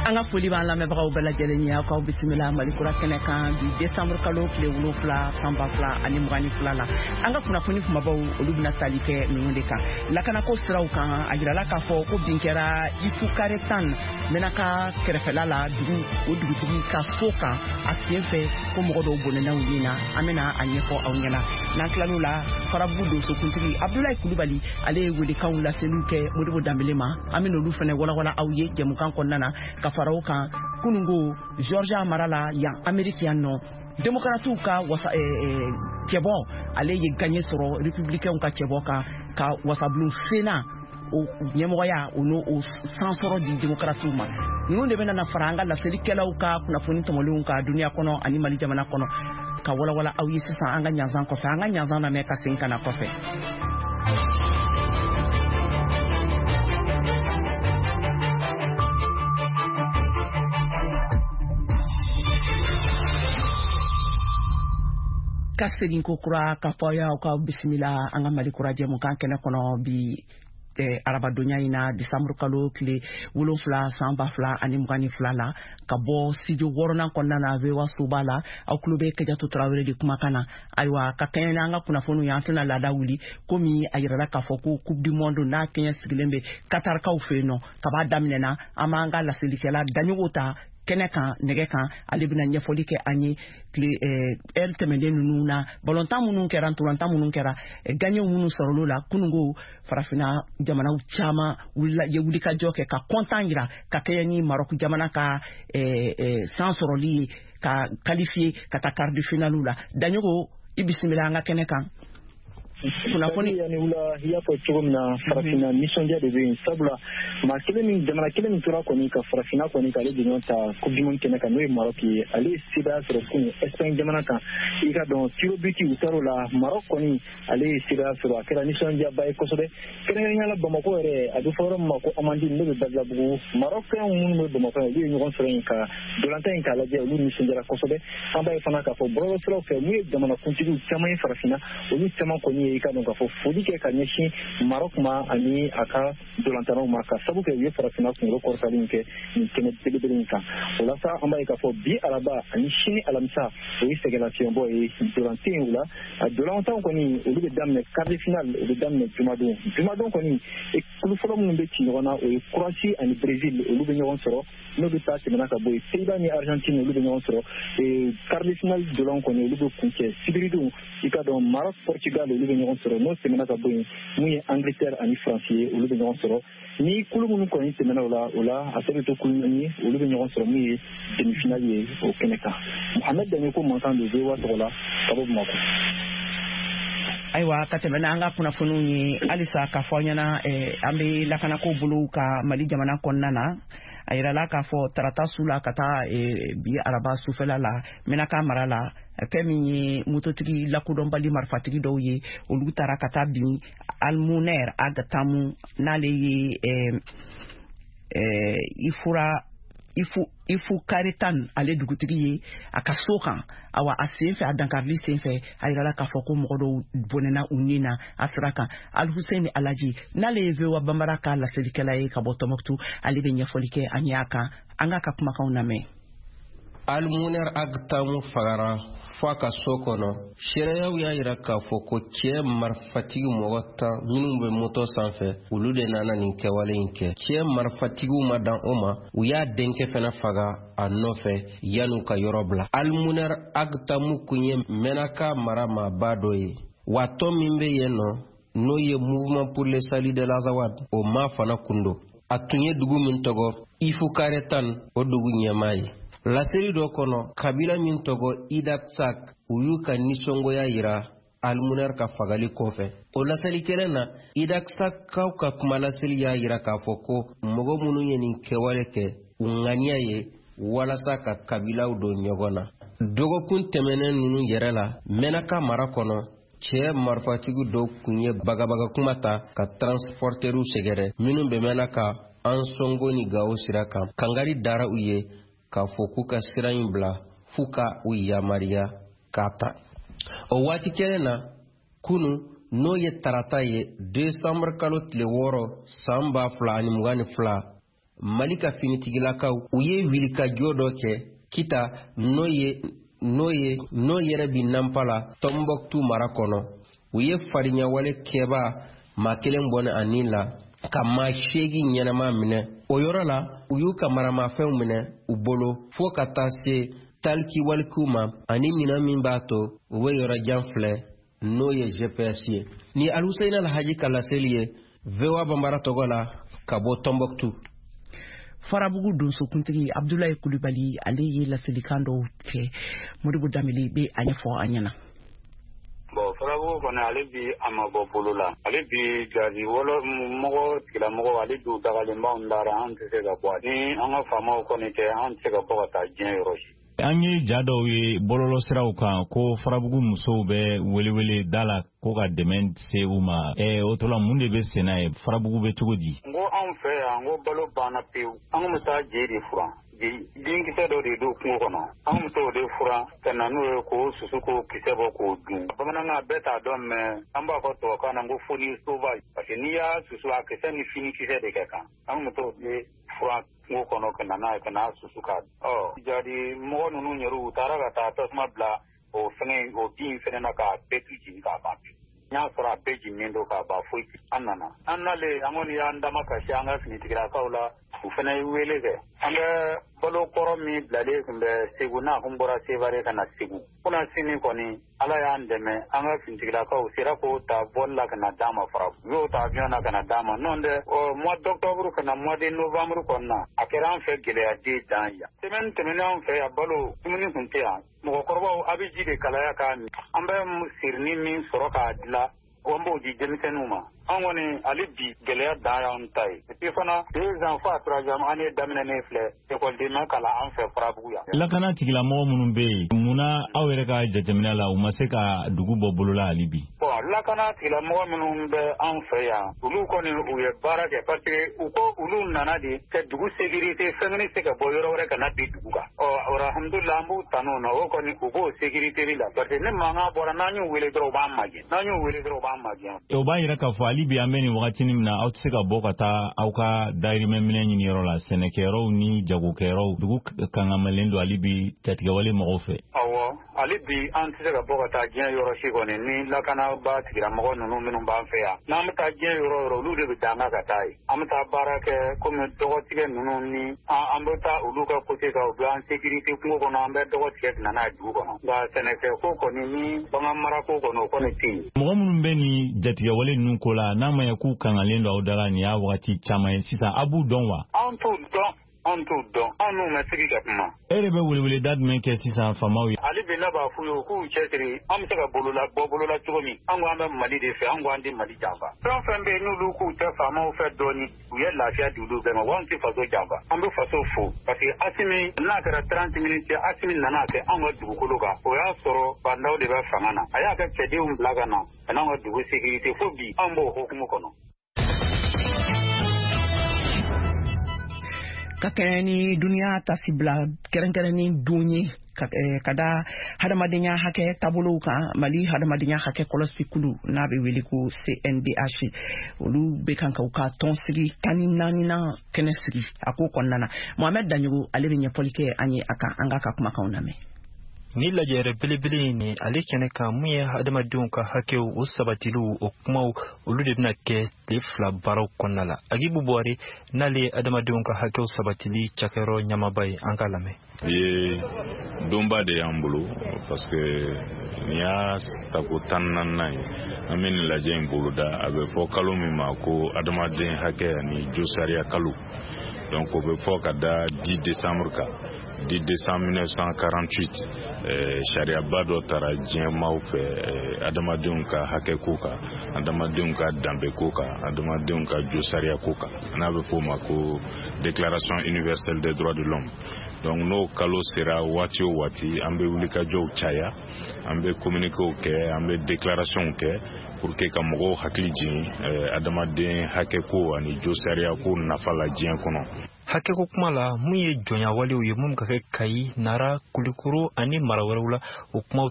An ka foli b'an lamɛnbagaw bɛɛ lajɛlen ye. Aw k'aw bisimila Mali Kura kɛnɛ kan bi desanburu kalo tile 7 san 2022 la. An ka kunnafoni kumabaw, olu bɛna tali kɛ ninnu de kan. Lakanako siraw kan, a jirala k'a fɔ ko bin kɛra Ifukaretan, Menaka kɛrɛfɛla la, dugu o dugutigi ka so kan. A sen fɛ ko mɔgɔ dɔw bɔnɛna u ni na. An bɛna a ɲɛfɔ aw ɲɛna. N'an tilal'o la, Farabugu donsokuntigi Abdulayi Kulubali, ale ye welekanw laseliw kɛ Modibo Danbele ma. An bɛna olu fana walawala aw ye jɛmukan kɔnɔna na. Ka fara o kan, kunungo Georgia mara la yan, Ameriki yan nɔ, Demokaratiw ka wasa cɛbɔ, ale ye gaɲɛ sɔrɔ Republicainw ka cɛbɔ kan, ka wasabulon Sénat o ɲɛmɔgɔya, o n'o o sansɔrɔ di Demokaratiw ma. Ninnu de bɛna na fara an ka laselikɛlaw ka kunnafoni tɔmɔlenw kan duniya kɔnɔ ani Mali jamana kɔnɔ, ka walawala aw ye sisan an ka ɲanzan kɔfɛ. An ka ɲanzan lamɛn ka segin ka na kɔfɛ. Ka segin ko kura ka fɔ aw ka bisimila an ka Mali Kura jɛmukan kɛnɛ kɔnɔ bi arabadonya in na, disanburu kalo tile 7 san 2022 la, ka bɔ studio wɔɔrɔnan kɔnɔna na, VOA soba la. Aw tulo bɛ Kajatu Tarawele de kumakan na. Ayiwa, ka kɛɲɛ n'an ka kunnafoniw ye, an tɛna laada wuli komi a yirala k'a fɔ ko Coupe du monde n'a kɛɲɛ sigilen bɛ Katarikaw fɛ yen nɔ kaba daminɛna. An b'an ka laselikɛla Daɲogo ta kɛnɛ kan, nɛgɛ kan. Ale bɛna ɲɛfɔli kɛ an ye tile ɛri tɛmɛnen ninnu na, balontan minnu kɛra, ntolantan minnu kɛra, gaɲɛw minnu sɔrɔl'o la. Kunungo, Farafinna jamanaw caman wulila ye wulikajɔ kɛ ka kɔntan yira ka kɛɲɛ ni Marɔku jamana ka san sɔrɔli ye ka qualifier ka taa quart de finale la. Daɲogo, i bisimila an ka kɛnɛ kan. Kunnafoni yani wula, i y'a fɔ cogo min na, Farafinna nisɔndiya de bɛ yen, sabula maa kelen min, jamana kelen min tora kɔni ka Farafinna kɔni k'ale jɔɲɔgɔn ta Coupe du monde kɛnɛ kan, n'o ye Maroc ye, ale ye sebaaya sɔrɔ kunun Espagne jamana kan. I ka dɔn, tir au but u taar'o la, Maroc kɔni ale ye sebaaya sɔrɔ. A kɛra nisɔndiyaba ye kosɛbɛ, kɛrɛnkɛrɛnnenya la Bamakɔ yɛrɛ, a bɛ fɔ yɔrɔ min ma ko Amandine, n'o bɛ Badilabugu. Marɔkɛnw minnu bɛ Bamakɔ yan, olu ye ɲɔgɔn sɔrɔ yen ka dolantan in k'a lajɛ. Olu nisɔndiyara kosɛbɛ. An b'a ye fana k'a fɔ bɔlɔlɔsiraw fɛ, mun ye jamanakuntigiw caman ye Farafinna, olu caman kɔni ye, i ka dɔn k'a fɔ, foli kɛ ka ɲɛsin Marɔk ma ani a ka dolantannaw ma, ka sabu kɛ u ye Farafinna kunkolo kɔrɔtali kɛ nin kɛnɛ belebele in kan. O la sa, an b'a ye k'a fɔ bi araba ani sini alamisa, o ye sɛgɛnlafiɲɛbɔ ye, dolan tɛ yen. O la, dolantanw kɔni, olu bɛ daminɛ, quart de finale o bɛ daminɛ jumadon. Jumadon kɔni, kulu fɔlɔ minnu bɛ ci ɲɔgɔn na, o ye Croatie ani Brésil, olu bɛ ɲɔgɔn sɔrɔ. N'olu ta tɛmɛna ka bɔ yen, Pays-Bas ni Argentine, olu bɛ ɲɔgɔn sɔrɔ. Quart de finale dolan kɔni, olu bɛ kuncɛ sibiridon. I ka dɔn, Maroc, Portugal, olu bɛ ɲɔgɔn sɔrɔ. N'o tɛmɛna ka bɔ yen, mun ye Angleterre ani France ye, olu bɛ ɲɔgɔn sɔrɔ. Ni kulu minnu kɔni tɛmɛna o la, o la a tɔ bɛ to kulu naani ye, olu bɛ ɲɔgɔn sɔrɔ, mun ye demi finale ye o kɛnɛ kan. Mohamed Daɲoko mankan don VOA tɔgɔ la ka bɔ Bamakɔ. Ayiwa, ka tɛmɛ n'an ka kunnafoniw ye halisa, k'a fɔ an ɲɛna, an bɛ lakanako bolow ka Mali jamana kɔnɔna na. A yirala k'a fɔ tarata su la ka taa bi araba sufɛla la, Menaka mara la, fɛn min ye mototigi lakodɔnbali marifatigi dɔw ye, olu taara ka taa bin Almuner Ag Tamu, n'ale ye Ifura Ifu Ifu Karetan, ale dugutigi ye, a ka so kan. Awa, a sen fɛ, a dankarili sen fɛ, a yirala k'a fɔ ko mɔgɔ dɔw bɔnɛna u ni na a sira kan. Alhussein Alaji, n'ale ye VOA Bambara ka laselikɛla ye ka bɔ Tɔnbɔkutu, ale bɛ ɲɛfɔli kɛ an ye a kan. An k'a ka kumakanw lamɛn. Almuner Agtamu fagara fo a ka so kɔnɔ. Seereyaw y'a yira k'a fɔ ko cɛɛ marifatigi mɔgɔ 10 minnu bɛ moto sanfɛ, olu de nana nin kɛwale in kɛ. Cɛɛ marifatigiw ma dan o ma, u y'a denkɛ fana faga a nɔfɛ yan'u ka yɔrɔ bila. Almuner Agtamu kun ye Menaka mara maaba dɔ ye, wa tɔn min bɛ yen nɔ, n'o ye Mouvement pour le salut de l'Azawad, o maa fana kun don. A tun ye dugu min tɔgɔ Ifukaretan, o dugu ɲɛmaa ye. Laseli dɔ kɔnɔ, kabila min tɔgɔ Idaksak, u y'u ka nisɔngoya yira Almuner ka fagali kɔfɛ. O laseli kelen na, Idaksakaw ka kumalaseli y'a yira k'a fɔ ko mɔgɔ minnu ye nin kɛwale kɛ, u ŋaniya ye walasa ka kabilaw don ɲɔgɔn na. Dɔgɔkun tɛmɛnen ninnu yɛrɛ la, Menaka mara kɔnɔ, cɛɛ marifatigi dɔw kun ye bagabaga kuma ta ka transportɛriw sɛgɛrɛ minnu bɛ Menaka Ansongo ni Gawo sira kan. Kangari dara u ye k'a fɔ k'u ka sira in bila f'u ka u yamariya k'a ta. O waati kelen na, kunu, n'o ye tarata ye, desanburu kalo tile 6 san 2022. Mali ka finitigilakaw u ye wulikajɔ dɔ kɛ Kita, n'o ye n'o ye n'o yɛrɛ bi Nanpala, Tɔnbɔkutu mara kɔnɔ. U ye farinyawale kɛbaa maa kelen bɔnɛ a ni la, ka maa 8 ɲɛnama minɛ o yɔrɔ la. U y'u ka maramafɛnw minɛ u bolo, fo ka taa se talikiwalikiw ma ani minɛn min b'a to u bɛ yɔrɔ jan filɛ, n'o ye GPS ye. Ni Alhussein Alhaji ka laseli ye VOA Bambara tɔgɔ la ka bɔ Tɔnbɔkutu. Farabugu donsokuntigi Abdulayi Kulibali, ale ye laselikan dɔw kɛ. Modibo Danbele bɛ a ɲɛfɔ an ɲɛna. Bon, Farabugu kɔni, ale bi a ma bɔ bolo la. Ale bi jadi wɔlɔ mɔgɔ tigilamɔgɔ, ale bi dagalen b'anw dara. An tɛ se ka bɔ ni an ka faamaw kɔni tɛ, an tɛ se ka bɔ ka taa diɲɛ yɔrɔ si. An ye ja dɔw ye bɔlɔlɔsiraw kan ko Farabugu musow bɛ welewele da la ko ka dɛmɛ se u ma. O tɔ la, mun de bɛ senna ye? Farabugu bɛ cogo di? N ko anw fɛ yan, n ko balo banna pewu. An kun bɛ taa je de furan, denkisɛ dɔ de don kungo kɔnɔ. An kun bɛ t'o de furan ka na n'o ye, k'o susu, k'o kisɛ bɔ, k'o dun. Bamanankan bɛɛ t'a dɔn, mɛ an b'a fɔ tubabukan na ko fonio sauvage, parce que n'i y'a susu, a kisɛ ni fini kisɛ de kɛ kan. An kun bɛ t'o de furan kungo kɔnɔ ka na n'a ye, ka n'a susu k'a ɔ jadi mɔgɔ ninnu yɛrɛ, u taara ka taa tasuma bila o fɛngɛ, o bin in fɛnɛ na, k'a bɛɛ tu jeni k'a ban pewu. N y'a sɔrɔ a bɛɛ jeninen don k'a ban, foyi. An nana, an nalen, an kɔni y'an dama kasi an ka finitigilakaw la. U fana ye wele kɛ. An bɛ balo kɔrɔ min bilalen tun bɛ Segu, n'a kun bɔra Sevare ka na Segu kuna sini kɔni, Ala y'an dɛmɛ, an ka finitigilakaw sera k'o ta vol la ka na d'an ma Farabu. U y'o ta avion na ka na d'an ma. N'o tɛ, mois d'octobre ka na mois de novembre kɔnɔna na, a kɛra an fɛ gɛlɛya den dan yan. Semaine tɛmɛnen, an fɛ yan, balo dumuni tun tɛ yan. Mɔgɔkɔrɔbaw, a bɛ ji de kalaya k'a min. An bɛ sirini min sɔrɔ k'a dilan, an b'o di denmisɛnninw ma. An kɔni, hali bi, gɛlɛya dan y'an ta ye. Et puis fana, 2 ans fo a troisième année daminɛnen filɛ, ekɔliden ma kalan an fɛ Farabugu yan. Lakana tigilamɔgɔ minnu bɛ yen, munna aw yɛrɛ ka jateminɛ la, u ma se ka dugu bɔ bolo la hali bi? Bon, lakana tigilamɔgɔ minnu bɛ an fɛ yan, olu kɔni, u ye baara kɛ, parce que u ko olu nana de ka dugu sécurité, fɛn kɔni se ka bɔ yɔrɔ wɛrɛ ka na bi dugu kan. Ɔ alhamdulillah, an b'u tanu na. O kɔni, u b'o sécurité la, parce que ni mankan bɔra, n'an y'u wele dɔrɔn, u b'an magɛn. N'an y'u wele dɔrɔn, u b'an magɛn. O b'a yira k'a fɔ hali bi, an bɛ nin wagatinin min na, aw tɛ se ka bɔ ka taa aw ka dayirimɛ minɛ ɲini yɔrɔ la, sɛnɛkɛyɔrɔw ni jagokɛyɔrɔw, dugu kangamalen don hali bi jatigɛwale mɔgɔw fɛ. Awɔ, hali bi an tɛ se ka bɔ ka taa diɲɛ yɔrɔ si kɔni ni lakanaba tigilamɔgɔ ninnu minnu b'an fɛ yan. N'an bɛ taa diɲɛ yɔrɔ yɔrɔ, olu de bɛ dan ka taa yen. An bɛ taa baara kɛ komi dɔgɔtigɛ ninnu ni an bɛ taa olu ka côté kan, u bɛ an sécurité kungo kɔnɔ, an bɛ dɔgɔ tigɛ ka na n'a ye dugu kɔnɔ. Nka sɛnɛkɛ ko kɔni ni bagan mara ko kɔni, o kɔni tɛ yen. Mɔgɔ minnu bɛ nin jatigɛwale ninnu ko la, n'a ma ɲɛ k'u kangalen don aw da la, nin y'a wagati caman ye sisan, a b'u dɔn wa? An t'u dɔn, an t'u dɔn, an n'u ma sigi ka kuma. E yɛrɛ bɛ weleweleda jumɛn kɛ sisan faamaw ye? Hali bi, ne b'a f'u ye, u k'u cɛsiri, an bɛ se ka bolola bɔ bolola cogo min. An ko an bɛ Mali de fɛ, an ko an tɛ Mali janfa. Fɛn o fɛn bɛ yen, n'olu k'u tɛ faamaw fɛ dɔɔni, u ye lafiya di olu bɛɛ ma. Wa anw tɛ faso janfa, an bɛ faso fo, parce que Asimi n'a kɛra 30 minutes, Asimi nana kɛ anw ka dugukolo kan, o y'a sɔrɔ Bah N'Daw de bɛ fanga na. A y'a ka cɛdenw bila ka na ka n'anw ka dugu sécurité. Fo bi, an b'o hukumu kɔnɔ. Ka kɛɲɛ ni duniya tasibila kɛrɛnkɛrɛnnin don ye ka da hadamadenya hakɛ taabolow kan, Mali hadamadenya hakɛ kɔlɔsikulu, n'a bɛ wele ko CNDH, olu bɛ kan ka u ka tɔnsigi 14nan kɛnɛ sigi a ko kɔnɔna na. Mohamɛd Daɲogo, ale bɛ ɲɛfɔli kɛ an ye a kan. An k'a ka kumakanw lamɛn. Ni lajɛrɛ belebele in ni ale kɛnɛ kan, mun ye adamadenw ka hakɛw o sabatiliw, o kumaw, olu de bɛna kɛ tile 2 baaraw kɔnɔna la. Agibu Buwari, n'ale ye adamadenw ka hakɛw sabatili cakɛyɔrɔ ɲɛmaaba ye, an k'a lamɛn. Bi ye donba de y'an bolo, parce que nin y'a tako 14nan ye an bɛ nin lajɛ in boloda. A bɛ fɔ kalo min ma ko adamaden hakɛ ani josariya kalo, donc o bɛ fɔ ka da 10 décembre kan. 10 décembre 1948, sariyaba dɔ tara diɲɛ maaw fɛ adamadenw ka hakɛ ko kan, adamadenw ka danbe ko kan, adamadenw ka josariya ko kan, n'a bɛ fɔ o ma ko Déclaration universelle des droits de l'homme. Donc n'o kalo sera waati o waati, an bɛ wulikajɔw caya, an bɛ communiquéw kɛ, an bɛ déclarationw kɛ pour que ka mɔgɔw hakili jigin adamaden hakɛ ko ani josariya ko nafa la diɲɛ kɔnɔ. Hakɛko kuma la, mun ye jɔnyawalew ye mun ka kɛ Kayi, Nara, Kulikoro ani mara wɛrɛw la, o kumaw.